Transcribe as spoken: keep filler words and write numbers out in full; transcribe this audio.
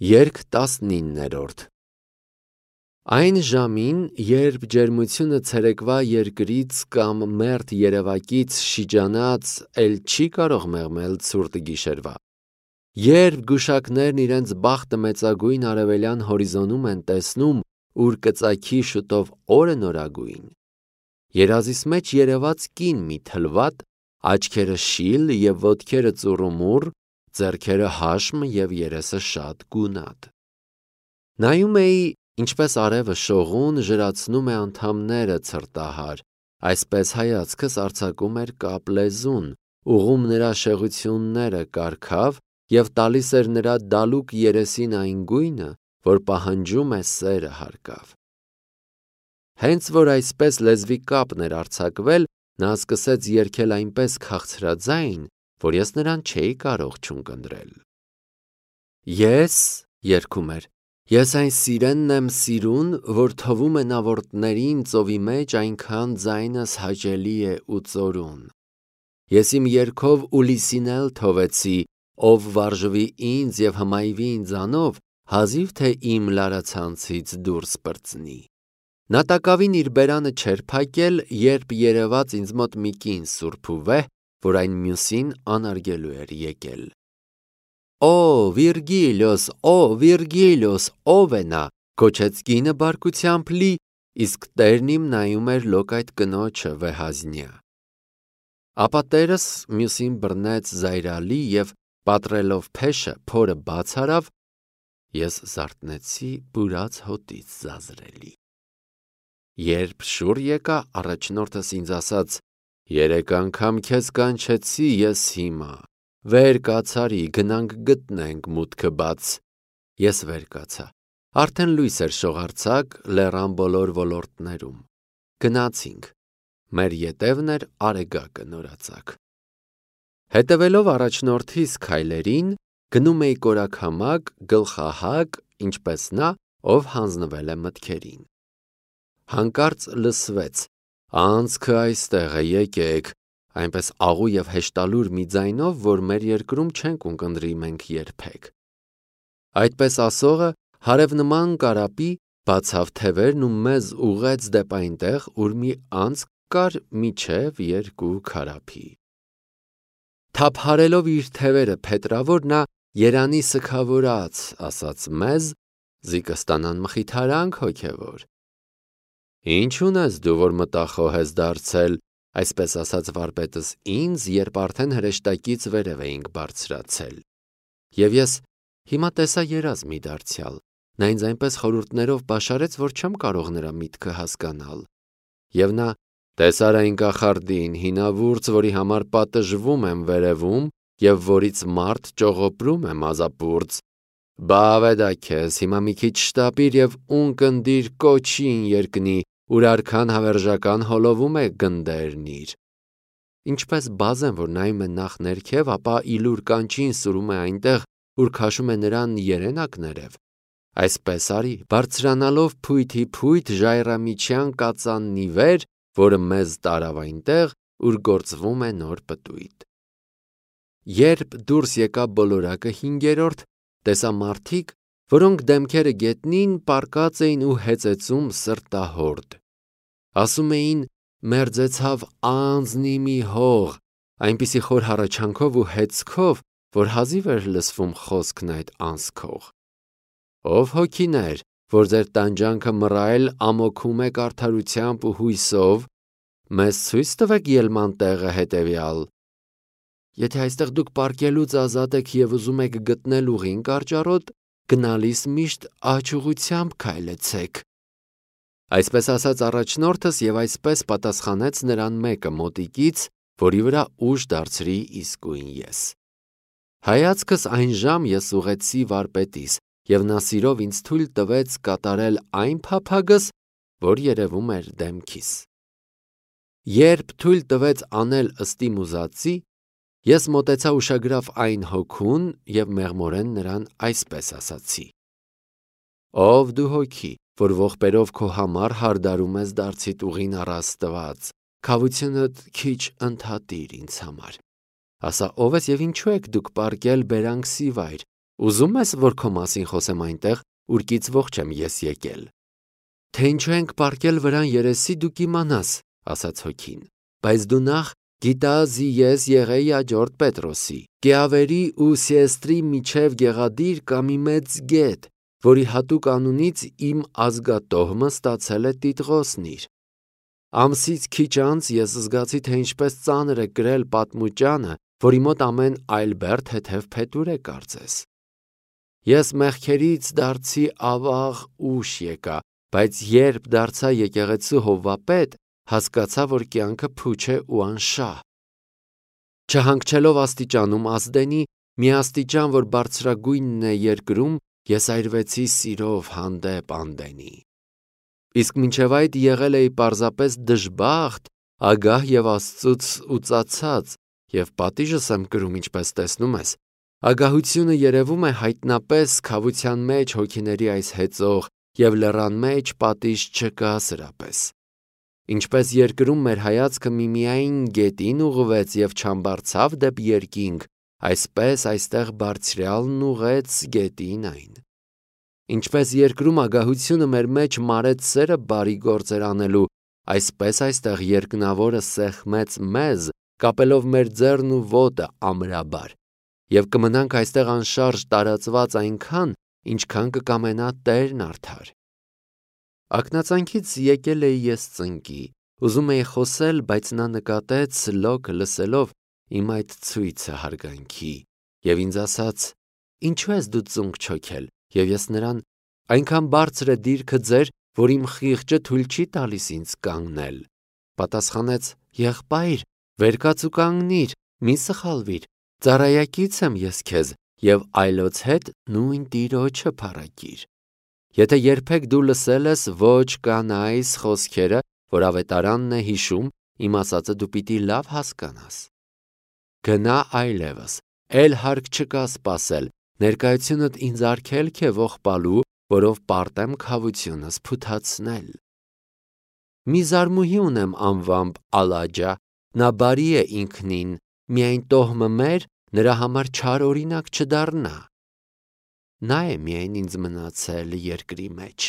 Երգ տասնիններորդ Այն ժամին, երբ ջերմությունը ցերեկվա երկրից կամ մերթ երևակից շիջանած, էլ չի կարող մեղմել ցուրտ գիշերվա, երբ գուշակներն իրենց բախտը մեծագույն արևելյան հորիզոնում են տեսնում, ուր կծագի շուտով օրը նորագույն, երազիս մեջ երևաց կին մի թլվատ, աչքերը շիլ և ոտքերը ծուռումուռ, ձեռքերը հաշմ և երեսը շատ գունատ։ Նայում էի, ինչպես արևը շողուն ժրացնում է անդամները ցրտահար, այսպես հայացքս արձակում էր կապ լեզուն, ուղղում նրա շեղությունները կարգավ և տալիս էր նրա դալուկ երեսին այն գույնը, որ պահանջում է սերը հարկավ։ Հենց որ այսպես լեզվի կապն էր արձակվել, նա սկսեց երգել այնպես քաղցրաձայն, որ ես նրան չէի կարող չունկնդրել։ Ես, երգում էր, ես այն սիրենն եմ սիրուն, որ թվում է նավորդներին ծովի մեջ այնքան ձայնս հաճելի է ու ծորուն։ Ես իմ երգով Ուլիսին էլ թողեցի, ով վարժվի ինձ և հմայվի ինձանով, հազիվ թե իմ լարացանցից դուրս պրծնի։ Նա տակավին իր բերանը չէր փակել, երբ երևաց ինձ մոտ մի կին սուրբ ու վեհ, որ այն մյուսին անարգելու էր եկել։ Օ, Վիրգիլիոս, օ, Վիրգիլիոս, ո՞վ է նա, գոչեց կինը բարկությամբ լի, իսկ տերն իմ նայում էր լոկայտ կնոջը վեհազնյա։ Ապա տերս մյուսին բռնեց զայրալի և պատռելով փեշը փորը բաց արավ, ես զարթնեցի բուրած հոտից զազրելի։ Երբ շուռ եկա, առաջնորդս ինձ ասաց. երեք անգամ քեզ կանչեցի ես հիմա, վեր կացարի, գնանք գտնենք մուտքը բաց։ Ես վեր կացա, արդեն լույս էր շողարցակ լեռան բոլոր ոլորտներում։ Գնացինք, մեր ետևն էր Արեգակը նորածակ։ Հետևելով առաջնորդիս քայլերին, գնում էի կորաքամակ, գլխահակ, ինչպես նա, ով հանձնվել է մտքերին։ Հանկարծ լսվեց. անցքը այստեղ է, եկեք, այնպես աղու և հեշտալուր մի ձայնով, որ մեր երկրում չենք ունկնդրի մենք երբեք։ Այդպես ասողը հարևնման կարապի բացավ թևերն ու մեզ ուղղեց դեպ այնտեղ, ուր մի անցք կար մինչև երկու քարափի։ Թափահարելով իր թևերը փետրավոր, նա երանի սգավորաց, ասաց մեզ, զիկը ստանան մխիթարանք հոգևոր։ Ինչ ունես դու, որ մտախոհ ես դարձել, այսպես ասաց վարպետս ինձ, երբ արդեն հրեշտակից վերև էինք բարձրացել։ Եվ ես հիմա տեսա երազ մի դարձյալ, նա ինձ այնպես խորհուրդներով բաշարեց, որ չեմ կարող նրա միտքը հասկանալ։ Եվ նա տեսար այն կախարդին, հինավուրց, որի համար պատժվում եմ վերևում և որից մարդ ճողոպրում է մազապուրծ։ Բա ավեդա քեզ, հիմա մի քիչ շտապիր և ունկնդիր կոչին երկնի, ուր արքան հավերժական հոլովում է գնդերնիր։ Ինչպես բազեն, որ նայում է նախ ներքև, ապա իլուր կանչին սուրում է այնտեղ, ուր քաշում է նրան երենակներև, այսպես արի, բարձրանալով փույթի փույթ ժայռամիջյան կածաննի վեր, որը մեզ տարավ այնտեղ, ուր գործվում է նոր պտույտ։ Երբ դուրս եկա բոլորակը հինգերորդ, տեսա մարդիկ, որոնք դեմքերը գետնին պառկած էին ու հեծեծում սրտահորդ։ Ասում էին, մերձեցավ անձնի մի հող, այնպիսի խոր հառաչանքով ու հեծքով, որ հազիվ էր լսվում խոսքն այդ անցքող։ Ով հոգիներ, որ ձեր տանջանքը մռայլ ամոքում եք արդարությամբ ու հույսով, մեզ ցույց տվեք ելման տեղը հետևյալ։ Եթե այստեղ դուք պառկելուց ազատ եք և ուզում եք գտնել ուղին կարճառոտ, գնալիս միշտ աջ ուղղությամբ քայլեցեք։ Այսպես ասաց առաջնորդս և այսպես պատասխանեց նրան մեկը մոտիկից, որի վրա ուժ դարձրի իսկույն ես։ Հայացքս այն ժամ ես ուղղեցի վարպետիս, և նա սիրով ինձ թույլ տվեց կատարել այն փափագս, որ երևում էր դեմքիս։ Երբ թույլ տվեց անել ըստի ուզածի, ես մոտեցա ուշագրավ այն հոգուն և մեղմորեն նրան այսպես ասացի. Ով դու հոգի, որ ողբերով քո համար հարդարում ես դարձիդ ուղին առ Աստված, քավությունդ քիչ ընդհատիր ինձ համար։ Ասա ով ես և ինչու եք դուք պառկել բերանքսի վայր, Ուզում ես, որ քո մասին խոսեմ այնտեղ, ուր կիծվող չեմ ես եկել։ Թե ինչու ենք պառկել վրան երեսի, դու կիմանաս, ասաց հոգին, բայց դու նախ գիտաս ես եղեի աջորդ Պետրոսի, Կեավերի ու Սիեստրի միջև գեղադիր կա մի մեծ գետ, որի հատուկ անունից իմ ազգատոհմը ստացել է տիտղոսն իր։ Ամսից քիչ անց ես զգացի, թե ինչպես ծանր է կրել պատմուճանը, որի մոտ ամեն այլ բերդ հետև փետուր է կարծես։ Ես մեղքերից դարձի ավաղ ուշ եկա, բայց երբ դարձա եկեղեցու հովվապետ, հասկացա, որ կյանքը փուչ է ու անշահ։ Չհանգչելով աստիճանում ազդենի, մի աստիճան, որ բարձրագույնն է երկրում, ես այրվեցի սիրով հանդեպ անդենի։ Իսկ մինչև այդ եղել էի պարզապես դժբախտ, ագահ և Աստծուց ուծացած, և պատիժս եմ կրում, ինչպես տեսնում ես։ Ագահությունը երևում է հայտնապես քավության մեջ հոգիների այս հեծող, և լեռան մեջ պատիժ չկա սրապես։ Ինչպես երկրում մեր հայացքը միմիայն գետին ուղղվեց և չամբարձավ դեպի երկինք, այսպես այստեղ Բարձրյալն ուղղեց գետին այն։ Ինչպես երկրում ագահությունը մեր մեջ մարեց սերը բարի գործեր անելու, այսպես այստեղ երկնավորը սեղմեց մեզ, կապելով մեր ձեռն ու ոտը ամրաբար, և կմնանք այստեղ անշարժ տարածված այնքան, ինչքան կկամենա Տերն արդար։ Ակնածանքից եկել էի ես ծնկի, ուզում էի խոսել, բայց նա նկատեց լոքը լսելով իմ այդ ցույցը հարգանքի, և ինձ ասաց. «Ինչու ես դու ծունկ չոքել», և ես նրան. «Այնքան բարձր է դիրքը ձեր, որ իմ խիղճը թույլ չի տալիս ինձ կանգնել»։ Պատասխանեց. «Եղբայր, վեր կաց ու կանգնիր, մի սխալվիր, ծառայակից եմ ես քեզ, և այլոց հետ նույն Տիրոջը փառագիր։ Եթե երբեք դու լսել ես ոչ կանայս խոսքերը, որ ավետարանն է հիշում, իմ ասածը դու պիտի լավ հասկանաս։ Գնա այլևս, էլ հարկ չկա սպասել, ներկայությունդ ինձ արգելք է ողբալու, որով պարտեմ քավությունս փութացնել։ Մի զարմուհի ունեմ անվամբ Ալաջա, նա բարի է ինքնին, միայն տոհմը մեր նրա համար չար օրինակ չդառնա։ Նա է միայն ինձ մնացել երկրի մեջ»։